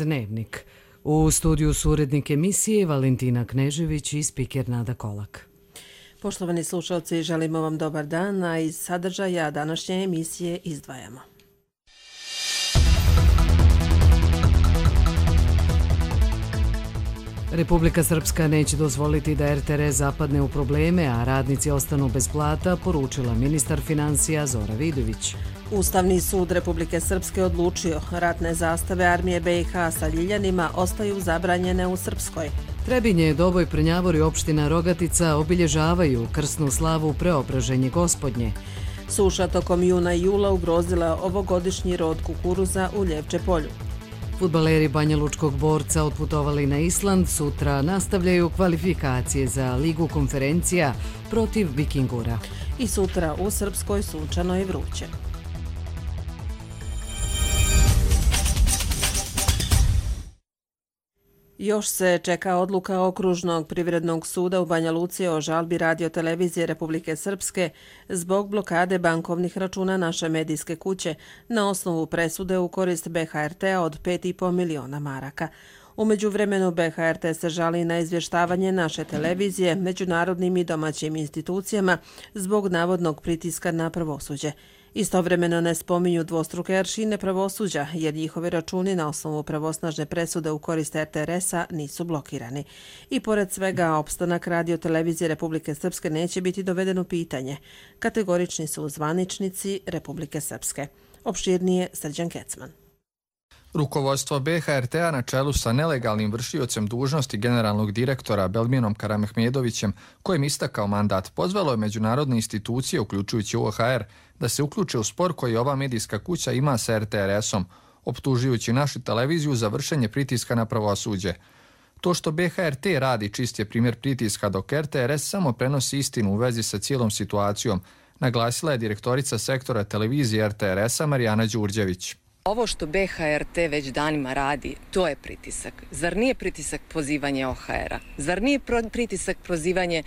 Dnevnik. U studiju su urednik emisije Valentina Knežević i spiker Nada Kolak. Poštovani slušalci, želimo vam dobar dan, a iz sadržaja današnje emisije izdvajamo. Republika Srpska neće dozvoliti da RTRS zapadne u probleme, a radnici ostanu bez plata, poručila ministar finansija Zora Vidović. Ustavni sud Republike Srpske odlučio ratne zastave armije BiH sa Ljiljanima ostaju zabranjene u Srpskoj. Trebinje, Doboj, Prnjavor i opština Rogatica obilježavaju krsnu slavu Preobraženje Gospodnje. Suša tokom juna i jula ugrozila ovogodišnji rod kukuruza u Ljevče polju. Fudbaleri Banja Lučkog Borca otputovali na Island, sutra nastavljaju kvalifikacije za Ligu konferencija protiv Vikingura. I sutra u Srpskoj sunčano i vruće. Još se čeka odluka Okružnog privrednog suda u Banja Luci o žalbi Radio-televizije Republike Srpske zbog blokade bankovnih računa naše medijske kuće na osnovu presude u korist BHRT-a od 5,5 miliona maraka. U međuvremenu BHRT se žali na izvještavanje naše televizije međunarodnim i domaćim institucijama zbog navodnog pritiska na pravosuđe. Istovremeno ne spominju dvostruke aršine pravosuđa, jer njihovi računi na osnovu pravosnažne presude u korist RTRS-a nisu blokirani. I pored svega, opstanak Radio-televizije Republike Srpske neće biti doveden u pitanje. Kategorični su zvaničnici Republike Srpske. Opširnije Srđan Kecman. Rukovodstvo BHRT-a na čelu sa nelegalnim vršiocem dužnosti generalnog direktora Belminom Karamehmedovićem, kojem istakao mandat, pozvalo je međunarodne institucije, uključujući OHR, da se uključe u spor koji ova medijska kuća ima sa RTRS-om, optužujući našu televiziju za vršenje pritiska na pravosuđe. To što BHRT radi čist je primjer pritiska, dok RTRS samo prenosi istinu u vezi sa cijelom situacijom, naglasila je direktorica sektora televizije RTRS-a Marijana Đurđević. Ovo što BHRT već danima radi, to je pritisak. Zar nije pritisak pozivanje OHR-a? Zar nije pritisak prozivanje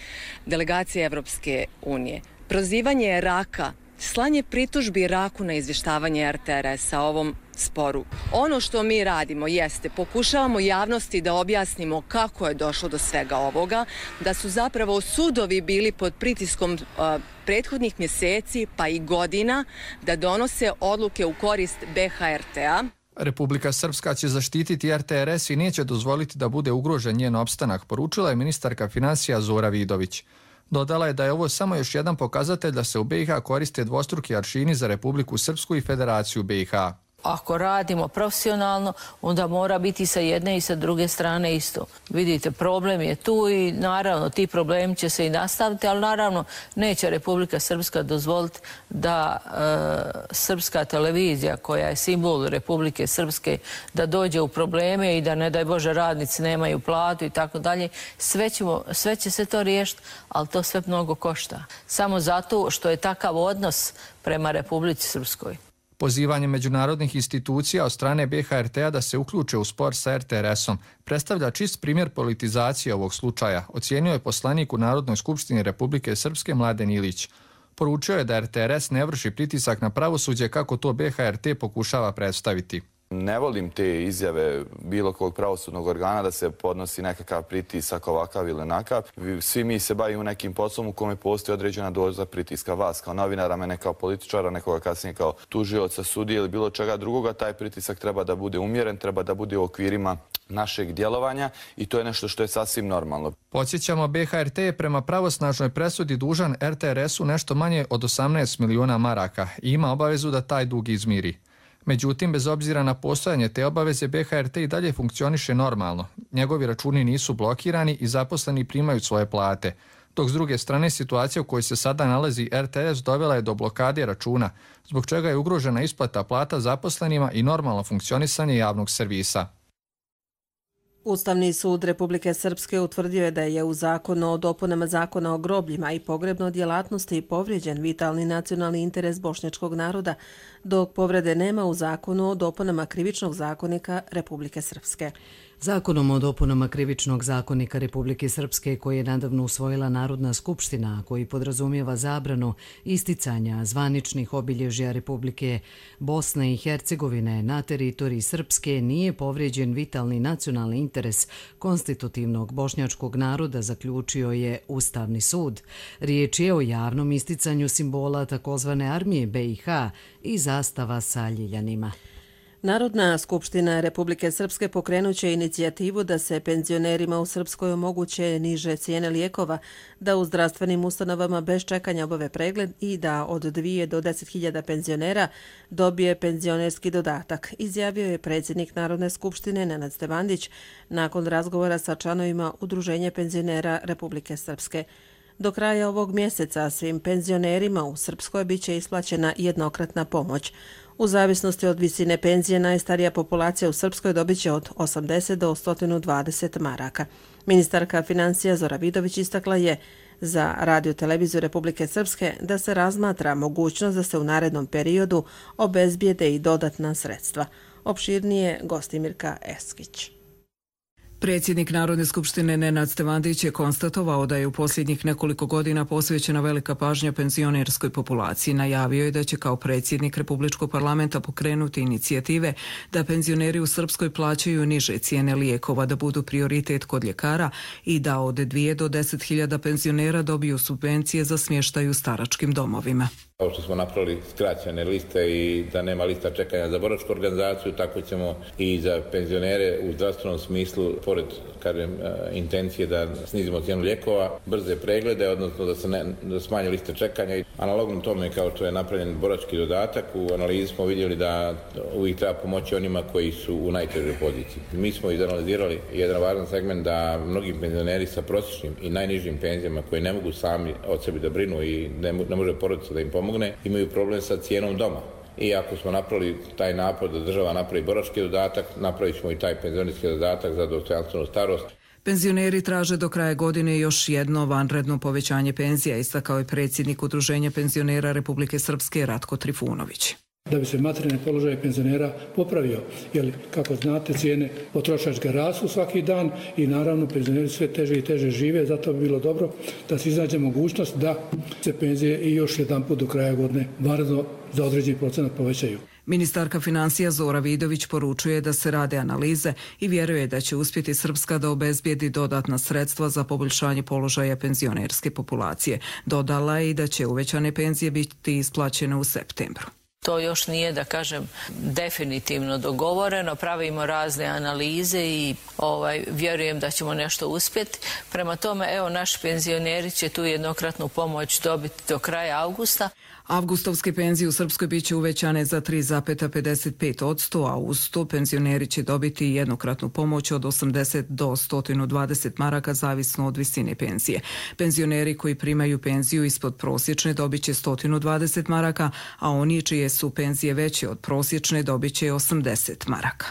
delegacije Evropske unije? Prozivanje Iraka, slanje pritužbi Iraku na izvještavanje RTRS-a ovom sporu. Ono što mi radimo jeste, pokušavamo javnosti da objasnimo kako je došlo do svega ovoga, da su zapravo sudovi bili pod pritiskom prethodnih mjeseci pa i godina da donose odluke u korist BHRT-a. Republika Srpska će zaštititi RTRS i neće dozvoliti da bude ugrožen njen opstanak, poručila je ministarka finansija Zora Vidović. Dodala je da je ovo samo još jedan pokazatelj da se u BiH koriste dvostruki aršini za Republiku Srpsku i Federaciju BiH. Ako radimo profesionalno, onda mora biti sa jedne i sa druge strane isto. Vidite, problem je tu i naravno ti problemi će se i nastaviti, ali naravno neće Republika Srpska dozvoliti da srpska televizija, koja je simbol Republike Srpske, da dođe u probleme i da, ne daj Bože, radnici nemaju platu i tako dalje. Sve će se to riješiti, ali to sve mnogo košta. Samo zato što je takav odnos prema Republici Srpskoj. Pozivanje međunarodnih institucija od strane BHRT-a da se uključe u spor sa RTRS-om predstavlja čist primjer politizacije ovog slučaja, ocijenio je poslanik u Narodnoj skupštini Republike Srpske Mladen Ilić. Poručio je da RTRS ne vrši pritisak na pravosuđe kako to BHRT pokušava predstaviti. Ne volim te izjave bilo kog pravosudnog organa da se podnosi nekakav pritisak ovakav ili onakav. Svi mi se bavimo nekim poslom u kome postoji određena doza pritiska. Vas kao novinara, mene kao političara, nekoga kasnije kao tužioca, sudije ili bilo čega drugoga. Taj pritisak treba da bude umjeren, treba da bude u okvirima našeg djelovanja i to je nešto što je sasvim normalno. Podsjećamo, BHRT je prema pravosnažnoj presudi dužan RTRS-u nešto manje od 18 miliona maraka i ima obavezu da taj dug izmiri. Međutim, bez obzira na postojanje te obaveze, BHRT i dalje funkcioniše normalno. Njegovi računi nisu blokirani i zaposleni primaju svoje plate. Dok s druge strane, situacija u kojoj se sada nalazi RTS dovela je do blokade računa, zbog čega je ugrožena isplata plata zaposlenima i normalno funkcionisanje javnog servisa. Ustavni sud Republike Srpske utvrdio je da je u zakonu o dopunama zakona o grobljima i pogrebnoj djelatnosti povrijeđen vitalni nacionalni interes bošnjačkog naroda, dok povrede nema u zakonu o dopunama krivičnog zakonika Republike Srpske. Zakonom o dopunama Krivičnog zakonika Republike Srpske, koji je nedavno usvojila Narodna skupština, koji podrazumijeva zabranu isticanja zvaničnih obilježja Republike Bosne i Hercegovine na teritoriji Srpske, nije povrijeđen vitalni nacionalni interes konstitutivnog bošnjačkog naroda, zaključio je Ustavni sud. Riječ je o javnom isticanju simbola takozvane armije BiH i zastava sa ljiljanima. Narodna skupština Republike Srpske pokrenuće inicijativu da se penzionerima u Srpskoj omoguće niže cijene lijekova, da u zdravstvenim ustanovama bez čekanja obave pregled i da od 2 do 10.000 penzionera dobije penzionerski dodatak, izjavio je predsjednik Narodne skupštine Nenad Stevandić nakon razgovora sa članovima Udruženja penzionera Republike Srpske. Do kraja ovog mjeseca svim penzionerima u Srpskoj biće isplaćena jednokratna pomoć. U zavisnosti od visine penzije, najstarija populacija u Srpskoj dobit će od 80 do 120 maraka. Ministarka financija Zora Vidović istakla je za Radio televiziju Republike Srpske da se razmatra mogućnost da se u narednom periodu obezbijede i dodatna sredstva. Opširnije Gostimirka Eskić. Predsjednik Narodne skupštine Nenad Stevandić je konstatovao da je u posljednjih nekoliko godina posvećena velika pažnja penzionerskoj populaciji. Najavio je da će kao predsjednik Republičkog parlamenta pokrenuti inicijative da penzioneri u Srpskoj plaćaju niže cijene lijekova, da budu prioritet kod ljekara i da od 2 do 10.000 penzionera dobiju subvencije za smještaj u staračkim domovima. Kao što smo napravili skraćene liste i da nema lista čekanja za boračku organizaciju, tako ćemo i za penzionere u zdravstvenom smislu, pored intencije da snizimo cijenu lijekova, brze preglede, odnosno da smanje liste čekanja. Analogno tome, kao što je napravljen borački dodatak, u analizi smo vidjeli da uvijek treba pomoći onima koji su u najtežoj poziciji. Mi smo izanalizirali jedan važan segment da mnogi penzioneri sa prosječnim i najnižim penzijama koji ne mogu sami od sebe da brinu i ne može porodica da im pomogne, imaju problem sa cijenom doma. I ako smo napravili taj napor da država napravi borački dodatak, napravit ćemo i taj penzionerski dodatak za dostojanstvenu starost. Penzioneri traže do kraja godine još jedno vanredno povećanje penzija, istakao je predsjednik Udruženja penzionera Republike Srpske Ratko Trifunović. Da bi se materijalni položaj penzionera popravio, jer kako znate cijene potrošačke rastu svaki dan i naravno penzioneri sve teže i teže žive, zato bi bilo dobro da se iznađe mogućnost da se penzije i još jedan put do kraja godine vanredno za određeni procenat povećaju. Ministarka financija Zora Vidović poručuje da se rade analize i vjeruje da će uspjeti Srpska da obezbijedi dodatna sredstva za poboljšanje položaja penzionerske populacije. Dodala je i da će uvećane penzije biti isplaćene u septembru. To još nije, da kažem, definitivno dogovoreno. Pravimo razne analize i vjerujem da ćemo nešto uspjeti. Prema tome, evo, naši penzioneri će tu jednokratnu pomoć dobiti do kraja avgusta. Avgustovske penzije u Srpskoj biće uvećane za 3,55%, a uz to penzioneri će dobiti jednokratnu pomoć od 80 do 120 maraka zavisno od visine penzije. Penzioneri koji primaju penziju ispod prosječne dobit će 120 maraka, a oni čije su penzije veće od prosječne dobit će 80 maraka.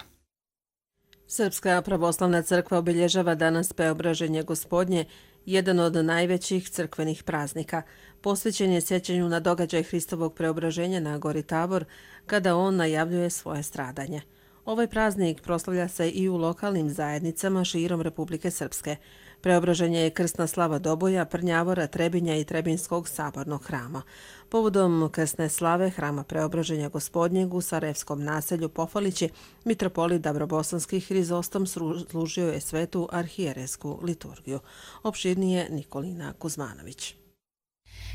Srpska pravoslavna crkva obilježava danas Preobraženje Gospodnje, jedan od najvećih crkvenih praznika. Posvećen je sjećanju na događaj Hristovog preobraženja na gori Tabor, kada on najavljuje svoje stradanje. Ovaj praznik proslavlja se i u lokalnim zajednicama širom Republike Srpske. Preobraženje je krsna slava Doboja, Prnjavora, Trebinja i Trebinskog sabornog hrama. Povodom krsne slave hrama Preobraženja Gospodnjeg u Sarajevskom naselju Pofalići, mitropolit Dabrobosanski Hrizostom služio je svetu arhijerejsku liturgiju. Opširnije Nikolina Kuzmanović.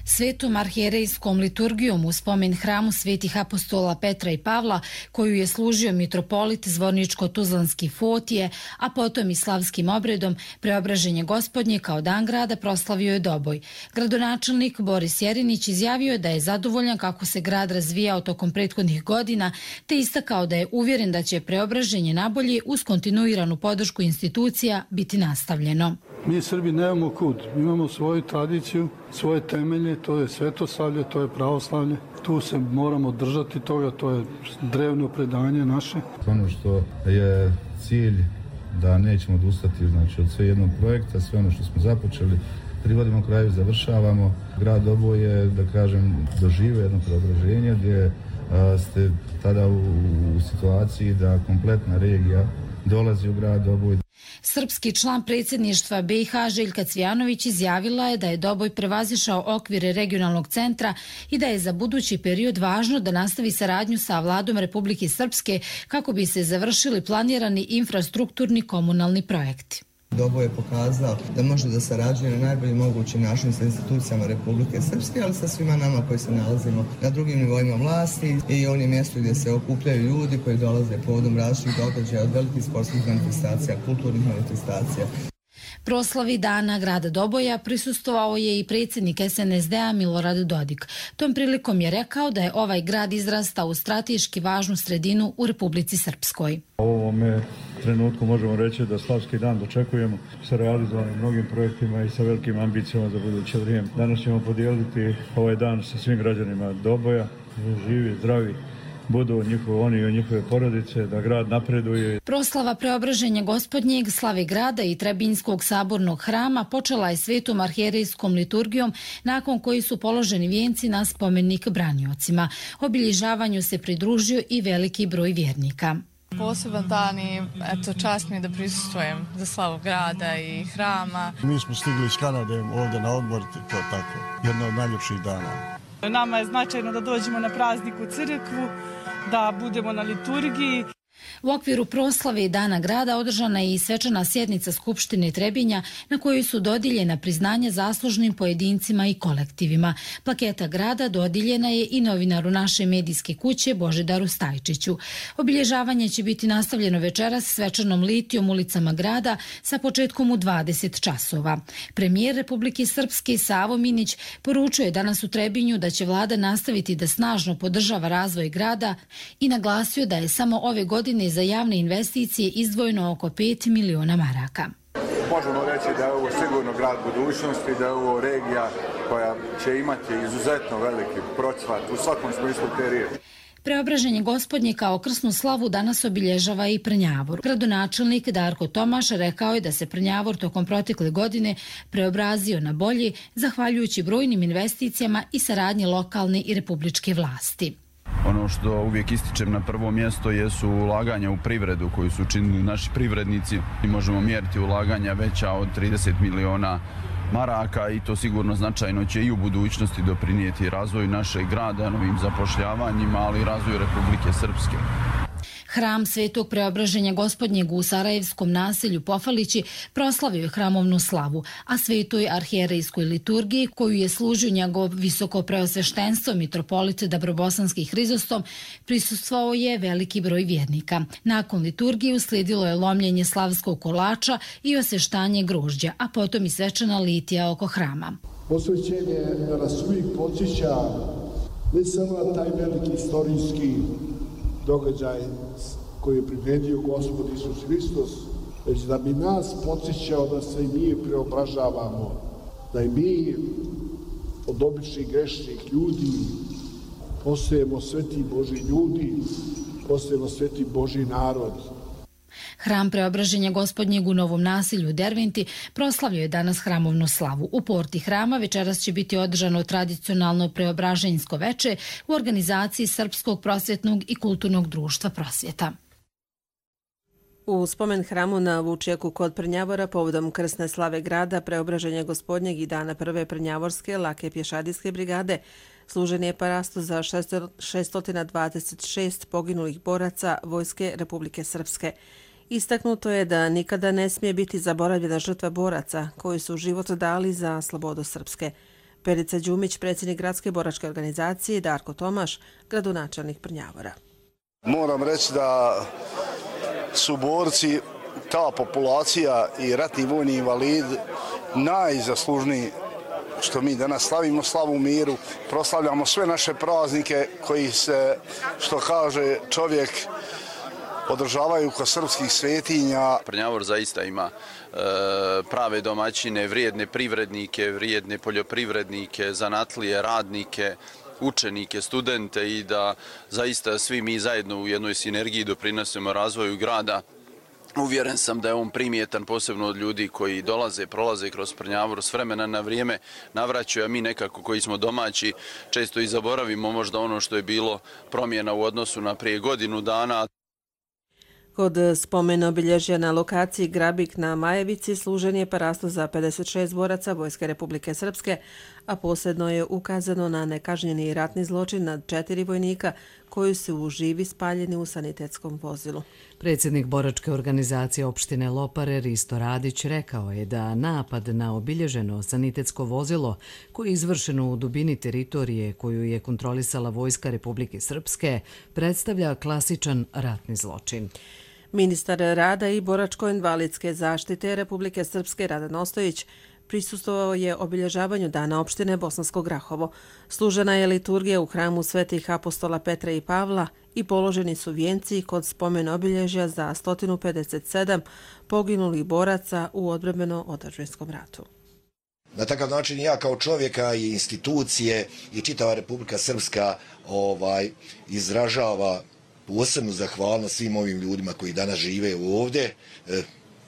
Svetom arhijerejskom liturgijom u spomen hramu svetih apostola Petra i Pavla, koju je služio mitropolit Zvorničko-Tuzlanski Fotije, a potom i slavskim obredom Preobraženje Gospodnje kao dan grada proslavio je Doboj. Gradonačelnik Boris Jerinić izjavio je da je zadovoljan kako se grad razvijao tokom prethodnih godina, te istakao da je uvjeren da će preobraženje nabolje uz kontinuiranu podršku institucija biti nastavljeno. Mi Srbi nemamo kud, imamo svoju tradiciju, svoje temelje, to je svetoslavlje, to je pravoslavlje. Tu se moramo držati toga, to je drevno predanje naše. Ono što je cilj da nećemo odustati od sve jednog projekta, sve ono što smo započeli, privodimo kraju, završavamo. Grad Doboj je, da kažem, doživio jedno preobraženje gdje ste tada u situaciji da kompletna regija dolazi u grad Doboj. Srpski član predsjedništva BiH Željka Cvijanović izjavila je da je Doboj prevazišao okvire regionalnog centra i da je za budući period važno da nastavi saradnju sa vladom Republike Srpske kako bi se završili planirani infrastrukturni komunalni projekti. Doboj je pokazao da može da sarađuje na najbolji mogući način sa institucijama Republike Srpske, ali sa svima nama koji se nalazimo na drugim nivoima vlasti i onim mjestu gdje se okupljaju ljudi koji dolaze povodom različitih događaja, od velikih sportskih manifestacija, kulturnih manifestacija. Proslavi Dana grada Doboja prisustvovao je i predsjednik SNSD-a Milorad Dodik. Tom prilikom je rekao da je ovaj grad izrastao u strateški važnu sredinu u Republici Srpskoj. U ovome trenutku možemo reći da Slavski dan dočekujemo sa realizovanim mnogim projektima i sa velikim ambicijama za buduće vrijeme. Danas ćemo podijeliti ovaj dan sa svim građanima Doboja, živi, zdravi, budu oni i njihove porodice, da grad napreduje. Proslava Preobraženja Gospodnjeg, slave grada i Trebinjskog sabornog hrama počela je svetom arhijerejskom liturgijom, nakon koji su položeni vijenci na spomenik braniocima. Obilježavanju se pridružio i veliki broj vjernika. Poseban dan i čast mi je da prisustvujem za slavu grada i hrama. Mi smo stigli iz Kanade ovdje na odmor, to tako, jedno od najljepših dana. Nama je značajno da dođemo na praznik u crkvu, da budemo na liturgiji. U okviru proslave Dana grada održana je i svečana sjednica Skupštine Trebinja na kojoj su dodijeljena priznanja zaslužnim pojedincima i kolektivima. Plaketa grada dodijeljena je i novinaru naše medijske kuće Božidaru Stajčiću. Obilježavanje će biti nastavljeno večeras svečanom litijom ulicama grada sa početkom u 20 časova. Premijer Republike Srpske Savo Minić poručuje je danas u Trebinju da će vlada nastaviti da snažno podržava razvoj grada i naglasio da je samo ove godine za javne investicije izdvojeno oko 5 miliona maraka. Možemo reći da je ovo sigurno grad budućnosti, da je ovo regija koja će imati izuzetno veliki procvat u svakom smislu te riječi. Preobraženje Gospodnje kao krsnu slavu danas obilježava i Prnjavor. Gradonačelnik Darko Tomaš rekao je da se Prnjavor tokom protekle godine preobrazio na bolje zahvaljujući brojnim investicijama i saradnji lokalne i republičke vlasti. Ono što uvijek ističem na prvo mjesto jesu ulaganja u privredu koju su učinili naši privrednici i možemo mjeriti ulaganja veća od 30 miliona maraka i to sigurno značajno će i u budućnosti doprinijeti razvoju našeg grada, novim zapošljavanjima, ali i razvoju Republike Srpske. Hram Svetog Preobraženja Gospodnjeg u Sarajevskom naselju Pofalići proslavio je hramovnu slavu, a Svetoj arhijerejskoj liturgiji, koju je služio njegov visoko preosveštenstvo mitropolit Dabrobosanski Hrizostom, prisustvovao je veliki broj vjernika. Nakon liturgije uslijedilo je lomljenje slavskog kolača i osveštanje grožđa, a potom i svečana litija oko hrama. Posvećenje nas uvijek podsjeća ne samo na taj veliki istorijski događaj koji je priredio Gospod Isus Hristos, već da bi nas podsjećao da se i mi preobražavamo, da i mi od običnih grešnih ljudi postajemo sveti Božji ljudi, postajemo sveti Božji narod. Hram Preobraženja Gospodnjeg u Novom naselju u Derventi proslavio je danas hramovnu slavu. U porti hrama večeras će biti održano tradicionalno preobraženjsko veče u organizaciji Srpskog prosvjetnog i kulturnog društva Prosvjeta. U spomen hramu na Vučjaku kod Prnjavora povodom krsne slave grada, Preobraženja Gospodnjeg i dana prve Prnjavorske lake pješadijske brigade služen je parastu za 626 poginulih boraca Vojske Republike Srpske. Istaknuto je da nikada ne smije biti zaboravljena žrtva boraca koji su život dali za slobodu Srpske. Perica Đumić, predsjednik gradske boračke organizacije, Darko Tomaš, gradonačelnik Prnjavora. Moram reći da su borci, ta populacija i ratni vojni invalid najzaslužniji što mi danas slavimo slavu u miru, proslavljamo sve naše praznike koji se, što kaže čovjek, održavaju kod srpskih svetinja. Prnjavor zaista ima prave domaćine, vrijedne privrednike, vrijedne poljoprivrednike, zanatlije, radnike, učenike, studente i da zaista svi mi zajedno u jednoj sinergiji doprinosimo razvoju grada. Uvjeren sam da je on primjetan posebno od ljudi koji dolaze, prolaze kroz Prnjavor s vremena na vrijeme, navraćaju, a mi nekako koji smo domaći često i zaboravimo možda ono što je bilo promjena u odnosu na prije godinu dana. Kod spomen obilježja na lokaciji Grabik na Majevici služen je parastu za 56 boraca Vojske Republike Srpske, a posebno je ukazano na nekažnjeni ratni zločin nad 4 vojnika koji su u živi spaljeni u sanitetskom vozilu. Predsjednik boračke organizacije opštine Lopare Risto Radić rekao je da napad na obilježeno sanitetsko vozilo koje je izvršeno u dubini teritorije koju je kontrolisala Vojska Republike Srpske predstavlja klasičan ratni zločin. Ministar rada i boračko-invalidske zaštite Republike Srpske Radan Ostojić prisustvovao je obilježavanju Dana opštine Bosansko Grahovo. Služena je liturgija u hramu svetih apostola Petra i Pavla i položeni su vijenci kod spomen obilježja za 157 poginulih boraca u odbrambeno-otadžbinskom ratu. Na takav način ja kao čovjeka i institucije i čitava Republika Srpska izražava posebnu zahvalnost svim ovim ljudima koji danas žive ovdje.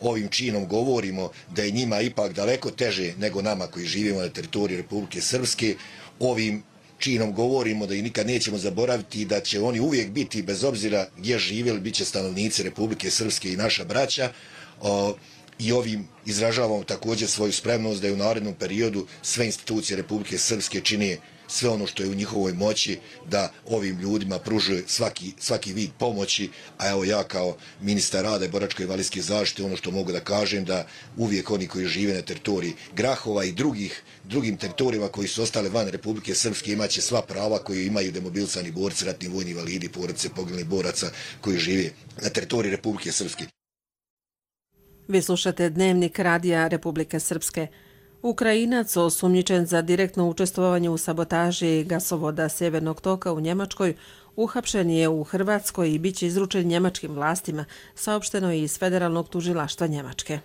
Ovim činom govorimo da je njima ipak daleko teže nego nama koji živimo na teritoriji Republike Srpske. Ovim činom govorimo da i nikad nećemo zaboraviti da će oni uvijek biti, bez obzira gdje živjeli, bit će stanovnici Republike Srpske i naša braća. I ovim izražavamo također svoju spremnost da je u narednom periodu sve institucije Republike Srpske čine sve ono što je u njihovoj moći da ovim ljudima pružuje svaki vid pomoći, a evo ja kao ministar rada i boračko-invalidske zaštite ono što mogu da kažem da uvijek oni koji žive na teritoriji Grahova i drugim teritorijama koji su ostale van Republike Srpske imaće sva prava koje imaju demobilisani borci, ratni vojni invalidi, porodice poginulih boraca koji žive na teritoriji Republike Srpske. Vi slušate Dnevnik radija Republike Srpske. Ukrajinac osumnjičen za direktno učestvovanje u sabotaži gasovoda Sjevernog toka u Njemačkoj uhapšen je u Hrvatskoj i bit će izručen njemačkim vlastima, saopšteno je iz Federalnog tužilaštva Njemačke.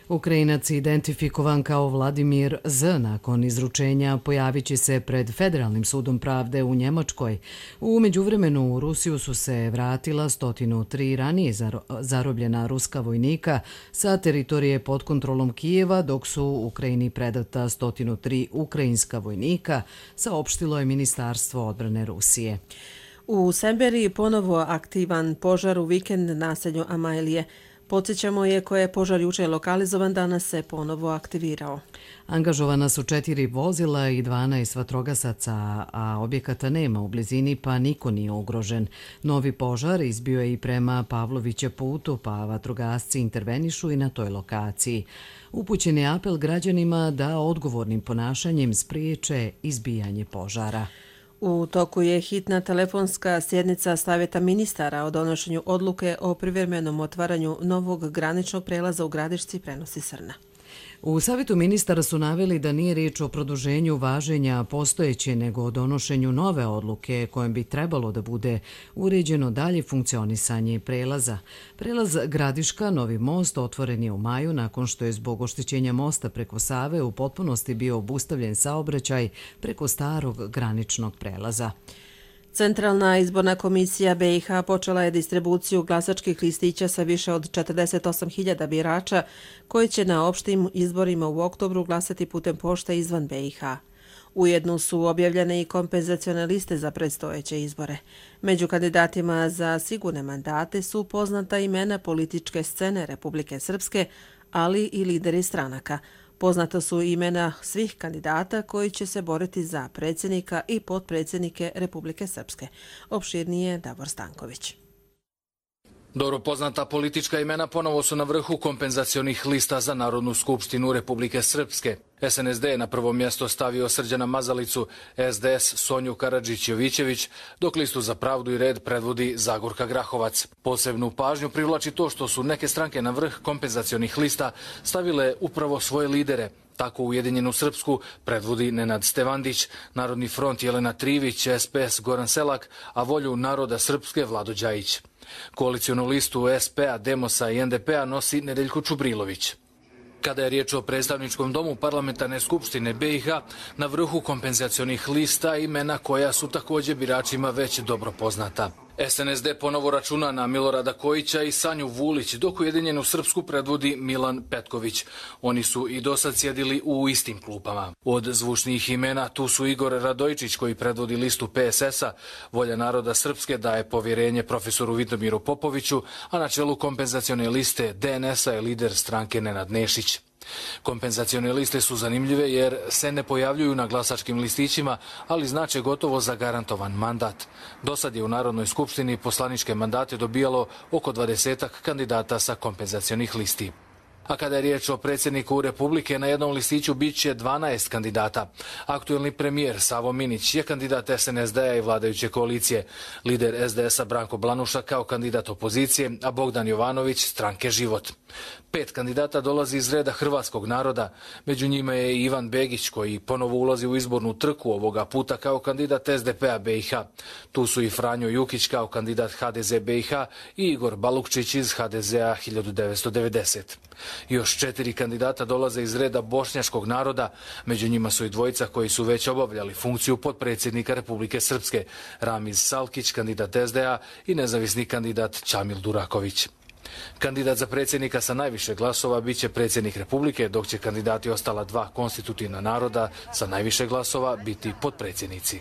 Ukrajinac identifikovan kao Vladimir Z. nakon izručenja pojavit će se pred Federalnim sudom pravde u Njemačkoj. U međuvremenu u Rusiju su se vratila 103 ranije zarobljena ruska vojnika sa teritorije pod kontrolom Kijeva, dok su Ukrajini predata 103 ukrajinska vojnika, saopštilo je Ministarstvo odbrane Rusije. U Semberiji ponovo aktivan požar u vikend naselju Amajlije. Podsjećamo je koje je požar juče lokalizovan, danas se ponovo aktivirao. Angažovana su 4 vozila i 12 vatrogasaca, a objekata nema u blizini pa niko nije ugrožen. Novi požar izbio je i prema Pavlovića putu, pa vatrogasci intervenišu i na toj lokaciji. Upućen je apel građanima da odgovornim ponašanjem spriječe izbijanje požara. U toku je hitna telefonska sjednica Savjeta ministara o donošenju odluke o privremenom otvaranju novog graničnog prelaza u Gradišci, prenosi Srna. U Savjetu ministara su naveli da nije riječ o produženju važenja postojeće, nego o donošenju nove odluke kojom bi trebalo da bude uređeno dalje funkcionisanje prelaza. Prelaz Gradiška, Novi most, otvoren je u maju nakon što je zbog oštećenja mosta preko Save u potpunosti bio obustavljen saobraćaj preko starog graničnog prelaza. Centralna izborna komisija BiH počela je distribuciju glasačkih listića sa više od 48.000 birača koji će na opštim izborima u oktobru glasati putem pošte izvan BiH. Ujedno su objavljene i kompenzacione liste za predstojeće izbore. Među kandidatima za sigurne mandate su poznata imena političke scene Republike Srpske, ali i lideri stranaka. Poznata su imena svih kandidata koji će se boriti za predsjednika i potpredsjednike Republike Srpske. Opširnije Davor Stanković. Dobro poznata politička imena ponovo su na vrhu kompenzacionih lista za Narodnu skupštinu Republike Srpske. SNSD je na prvo mjesto stavio Srđana Mazalicu, SDS Sonju Karadžić-Jovićević, dok listu za pravdu i red predvodi Zagorka Grahovac. Posebnu pažnju privlači to što su neke stranke na vrh kompenzacionih lista stavile upravo svoje lidere. Tako Ujedinjenu Srpsku predvodi Nenad Stevandić, Narodni front Jelena Trivić, SPS Goran Selak, a Volju naroda Srpske Vlado Đajić. Koalicijonu listu SP-a, Demosa i NDP-a nosi Nedeljko Čubrilović. Kada je riječ o predstavničkom domu Parlamentarne skupštine BiH, na vrhu kompenzacionih lista imena koja su također biračima već dobro poznata. SNSD ponovo računa na Milorada Kojića i Sanju Vulić, dok Ujedinjenu Srpsku predvodi Milan Petković. Oni su i dosad sjedili u istim klupama. Od zvučnijih imena tu su Igor Radojčić koji predvodi listu PSS-a, Volja naroda Srpske daje povjerenje profesoru Vidomiru Popoviću, a na čelu kompenzacione liste DNS-a je lider stranke Nenad Nešić. Kompenzacione liste su zanimljive jer se ne pojavljuju na glasačkim listićima, ali znače gotovo zagarantovan mandat. Dosad je u Narodnoj skupštini poslaničke mandate dobijalo oko 20-ak kandidata sa kompenzacionih listi. A kada je riječ o predsjedniku Republike, na jednom listiću bit će 12 kandidata. Aktuelni premijer Savo Minić je kandidat SNSD-a i vladajuće koalicije. Lider SDS-a Branko Blanuša kao kandidat opozicije, a Bogdan Jovanović stranke Život. 5 kandidata dolazi iz reda hrvatskog naroda. Među njima je i Ivan Begić koji ponovo ulazi u izbornu trku ovoga puta kao kandidat SDP-a BiH. Tu su i Franjo Jukić kao kandidat HDZ BiH i Igor Balukčić iz HDZ-a 1990. Još 4 kandidata dolaze iz reda bošnjačkog naroda, među njima su i dvojica koji su već obavljali funkciju potpredsjednika Republike Srpske, Ramiz Salkić, kandidat SDA i nezavisni kandidat Čamil Duraković. Kandidat za predsjednika sa najviše glasova bit će predsjednik Republike, dok će kandidati ostala 2 konstitutivna naroda sa najviše glasova biti potpredsjednici.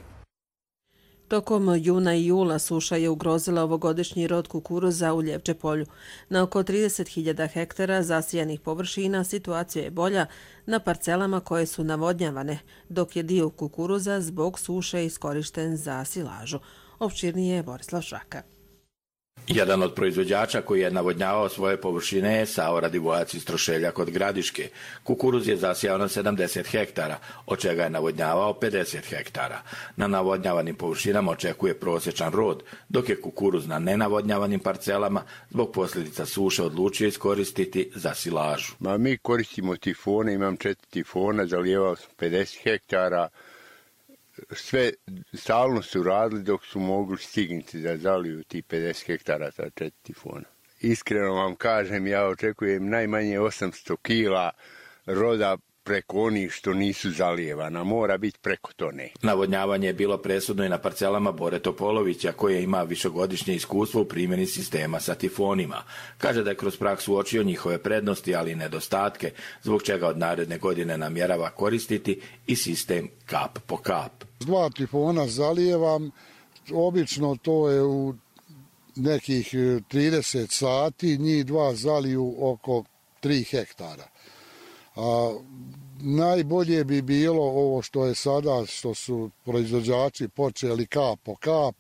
Tokom juna i jula suša je ugrozila ovogodišnji rod kukuruza u Ljevče polju. Na oko 30.000 hektara zasijanih površina situacija je bolja na parcelama koje su navodnjavane, dok je dio kukuruza zbog suše iskorišten za silažu. Opširnije je Borislav Šraka. Jedan od proizvođača koji je navodnjavao svoje površine je Savo Radivojac iz Trošelja kod Gradiške. Kukuruz je zasijao na 70 hektara, od čega je navodnjavao 50 hektara. Na navodnjavanim površinama očekuje prosječan rod, dok je kukuruz na nenavodnjavanim parcelama zbog posljedica suše odlučio iskoristiti za silažu. Mi koristimo tifone, imam 4 tifona, zalijevao sam 50 hektara. Sve stalno su radili dok su mogli stignuti da zaliju ti 50 hektara sa 4 tifona. Iskreno vam kažem, ja očekujem najmanje 800 kila roda preko onih što nisu zalijevana. Mora biti preko tone. Navodnjavanje je bilo presudno i na parcelama Bore Topolovića, koje ima višegodišnje iskustvo u primjeni sistema sa tifonima. Kaže da je kroz praksu uočio njihove prednosti, ali i nedostatke, zbog čega od naredne godine namjerava koristiti i sistem kap po kap. 2 tifona zalijevam, obično to je u nekih 30 sati, njih 2 zaliju oko 3 hektara. Najbolje bi bilo ovo što je sada, što su proizvođači počeli kap po kap,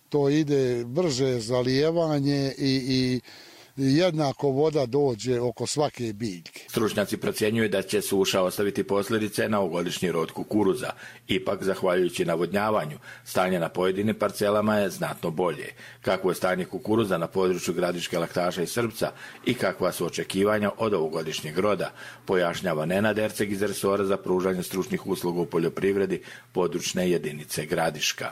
to ide brže zalijevanje i jednako voda dođe oko svake biljke. Stručnjaci procjenjuju da će suša ostaviti posljedice na ovogodišnji rod kukuruza. Ipak, zahvaljujući navodnjavanju, stanje na pojedinim parcelama je znatno bolje. Kakvo je stanje kukuruza na području Gradiške, Laktaša i Srpca i kakva su očekivanja od ovogodišnjeg roda, pojašnjava Nenad Erceg iz resora za pružanje stručnih usluga u poljoprivredi područne jedinice Gradiška.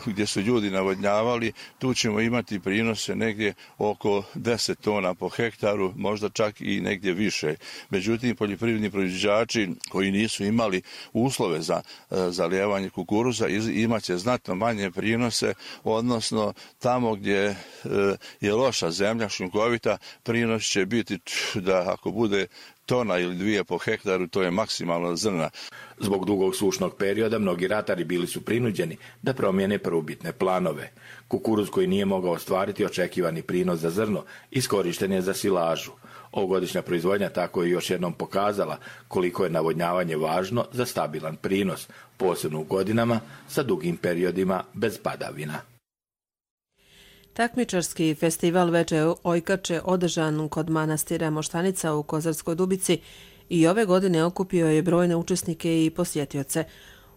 Gdje su ljudi navodnjavali, tu ćemo imati prinose negdje oko 10 tona po hektaru, možda čak i negdje više. Međutim, poljoprivredni proizvođači koji nisu imali uslove za zalijevanje kukuruza imat će znatno manje prinose, odnosno tamo gdje je loša zemlja, šljunkovita, prinos će biti da ako bude tona ili 2 po hektaru, to je maksimalno zrna. Zbog dugog sušnog perioda mnogi ratari bili su prinuđeni da promijene prvobitne planove. Kukuruz koji nije mogao ostvariti očekivani prinos za zrno iskorišten je za silažu. Ovogodišnja proizvodnja tako je još jednom pokazala koliko je navodnjavanje važno za stabilan prinos, posebno u godinama sa dugim periodima bez padavina. Takmičarski festival Veče Ojkače održan kod manastira Moštanica u Kozarskoj Dubici i ove godine okupio je brojne učesnike i posjetioce.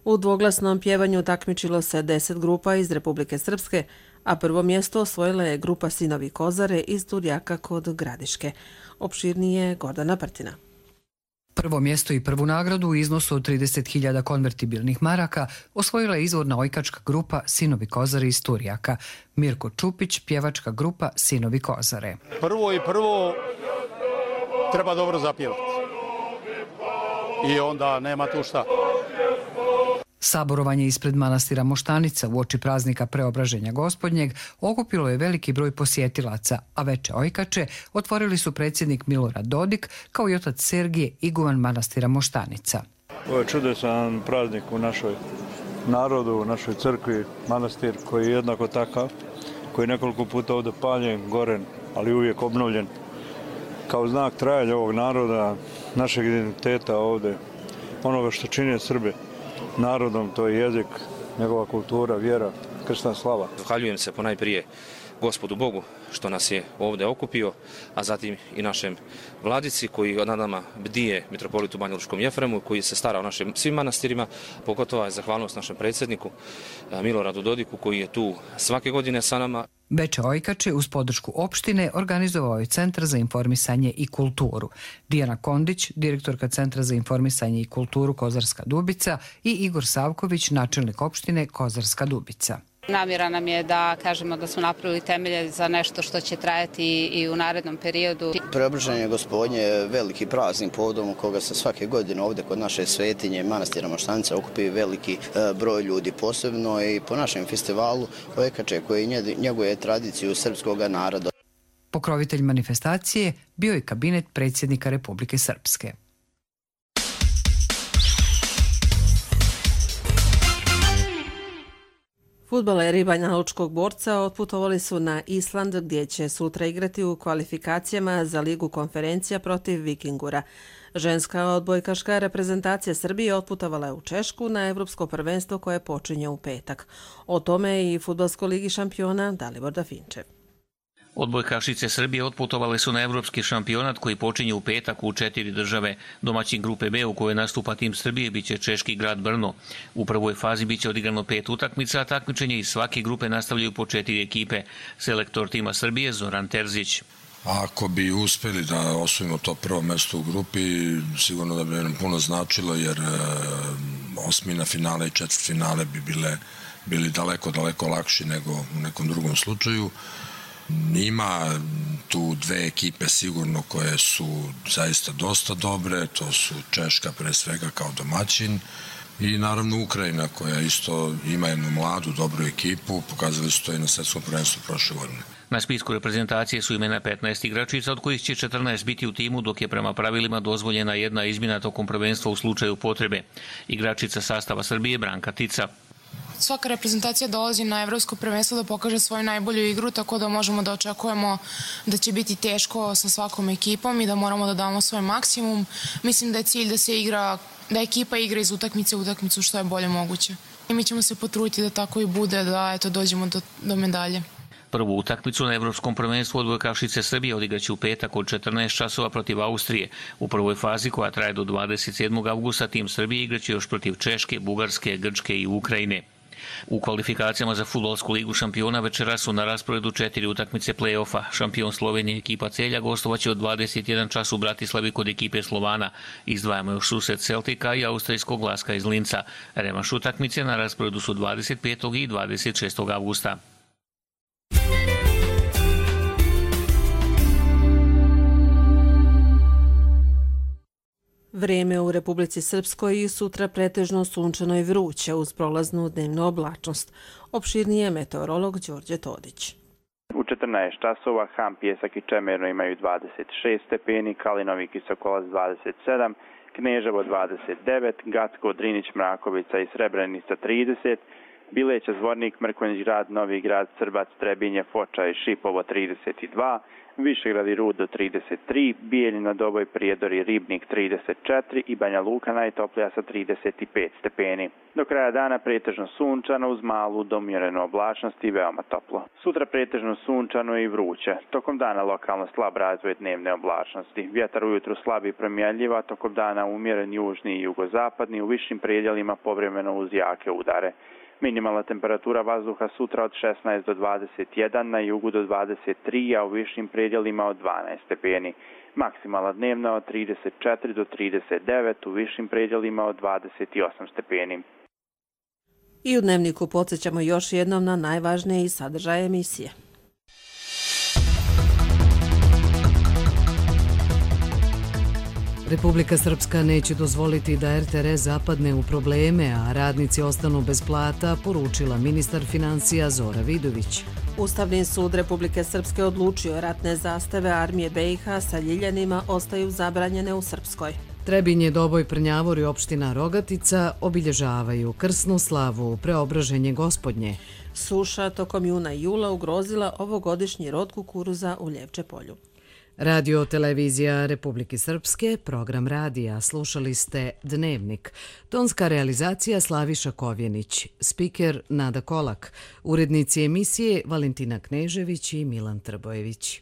U dvoglasnom pjevanju takmičilo se 10 grupa iz Republike Srpske, a prvo mjesto osvojila je grupa Sinovi Kozare iz Turjaka kod Gradiške. Opširnije Gordana Prtina. Prvo mjesto i prvu nagradu u iznosu od 30.000 konvertibilnih maraka osvojila je izvorna ojkačka grupa Sinovi Kozare iz Turjaka. Mirko Čupić, pjevačka grupa Sinovi Kozare. Prvo treba dobro zapjevati. I onda nema tu šta. Saborovanje ispred manastira Moštanica uoči praznika Preobraženja Gospodnjeg okupilo je veliki broj posjetilaca, a veče ojkače otvorili su predsjednik Milorad Dodik kao i otac Sergije, iguman manastira Moštanica. Ovo je čudesan praznik u našoj narodu, u našoj crkvi, manastir koji je jednako takav, koji je nekoliko puta ovdje paljen, goren, ali uvijek obnovljen. Kao znak trajanja ovog naroda, našeg identiteta ovdje, onoga što čini Srbe narodom, to je jezik, njegova kultura, vjera, kršna slava. Zahvaljujem se ponajprije Gospodu Bogu što nas je ovdje okupio, a zatim i našem vladici koji nad nama bdije, mitropolitu Banjalučkom Jefremu, koji se stara o našim svim manastirima. Pogotovo je zahvalnost našem predsjedniku Miloradu Dodiku koji je tu svake godine sa nama. Veče ojkače uz podršku opštine organizovao je Centar za informisanje i kulturu. Dijana Kondić, direktorka Centra za informisanje i kulturu Kozarska Dubica i Igor Savković, načelnik opštine Kozarska Dubica. Namjera nam je da kažemo da smo napravili temelje za nešto što će trajati i u narednom periodu. Preobraženje Gospodnje je veliki praznik povodom u koga se svake godine ovdje kod naše svetinje manastira Moštanica okupi veliki broj ljudi, posebno i po našem festivalu ojkače koji njeguje tradiciju srpskog naroda. Pokrovitelj manifestacije bio je kabinet predsjednika Republike Srpske. Fudbaleri Banjalučkog Borca otputovali su na Island gdje će sutra igrati u kvalifikacijama za Ligu konferencija protiv Vikingura. Ženska odbojkaška reprezentacija Srbije otputovala je u Češku na Evropsko prvenstvo koje počinje u petak. O tome i Fudbalskoj ligi šampiona Dalibor Dafinčev. Odbojkašice Srbije otputovale su na evropski šampionat koji počinje u petak u 4 države. Domaćin grupe B u kojoj nastupa tim Srbije biće češki grad Brno. U prvoj fazi biće odigrano 5 utakmica, a takmičenje iz svake grupe nastavljaju po 4 ekipe. Selektor tima Srbije Zoran Terzić. Ako bi uspjeli da osvojimo to prvo mjesto u grupi, sigurno da bi nam puno značilo, jer osmina finale i četvrtfinale bi bili daleko lakši nego u nekom drugom slučaju. Ima tu dve ekipe sigurno koje su zaista dosta dobre, to su Češka pre svega kao domaćin i naravno Ukrajina koja isto ima jednu mladu, dobru ekipu, pokazali su to i na svjetskom prvenstvu prošle godine. Na spisku reprezentacije su imena 15 igračica, od kojih će 14 biti u timu, dok je prema pravilima dozvoljena jedna izmjena tokom prvenstva u slučaju potrebe. Igračica sastava Srbije Branka Tica. Svaka reprezentacija dolazi na evropsko prvenstvo da pokaže svoju najbolju igru, tako da možemo da očekujemo da će biti teško sa svakom ekipom i da moramo da damo svoj maksimum. Mislim da je cilj da ekipa igra iz utakmice u utakmicu što je bolje moguće. I mi ćemo se potruditi da tako i bude, da dođemo do medalje. Prvu utakmicu na evropskom prvenstvu odbojkašice Srbije odigraće u petak od 14 časova protiv Austrije. U prvoj fazi koja traje do 27. avgusta tim Srbije igraće još protiv Češke, Bugarske, Grčke i Ukrajine. U kvalifikacijama za Fudbalsku ligu šampiona večera su na rasporedu 4 utakmice play-offa. Šampion Slovenije ekipa Celja gostovaće od 21 čas u Bratislavi kod ekipe Slovana. Izdvajamo još susret Celtika i austrijskog Laska iz Linca. Revanš utakmice na rasporedu su 25. i 26. avgusta. Vrijeme u Republici Srpskoj i sutra pretežno sunčano i vruće uz prolaznu dnevnu oblačnost. Opširnije meteorolog Đorđe Todić. U 14 časova Ham, Pjesak i Čemerno imaju 26 stepeni, Kalinovi i Sokolac 27, Kneževo 29, Gacko, Drinić, Mrakovica i Srebrenica 30, Bileća, Zvornik, Mrkonjić grad, Novi grad, Srbac, Trebinje, Foča i Šipovo 32, Višegrad i Rud do 33, Bijeljina, Doboj, Prijedor i Ribnik 34 i Banja Luka najtoplija sa 35 stepeni. Do kraja dana pretežno sunčano uz malu do umjerenu oblačnost i veoma toplo. Sutra pretežno sunčano i vruće. Tokom dana lokalno slab razvoj dnevne oblačnosti. Vjetar ujutru slab i promjenljiva, tokom dana umjeren južni i jugozapadni, u višim predjelima povremeno uz jake udare. Minimalna temperatura vazduha sutra od 16 do 21, na jugu do 23, a u višim predjelima od 12 stepeni. Maksimalna dnevna od 34 do 39, u višim predjelima od 28 stepeni. I u dnevniku podsjećamo još jednom na najvažnije sadržaje emisije. Republika Srpska neće dozvoliti da RTR zapadne u probleme, a radnici ostanu bez plata, poručila ministar financija Zora Vidović. Ustavni sud Republike Srpske odlučio ratne zastave armije BiH sa ljiljanima ostaju zabranjene u Srpskoj. Trebinje, Doboj, Prnjavor i opština Rogatica obilježavaju krsnu slavu Preobraženje Gospodnje. Suša tokom juna i jula ugrozila ovogodišnji rod kukuruza u Ljevče polju. Radio televizija Republike Srpske, program radija, slušali ste Dnevnik. Tonska realizacija Slaviša Kovjenić, spiker Nada Kolak, urednici emisije Valentina Knežević i Milan Trbojević.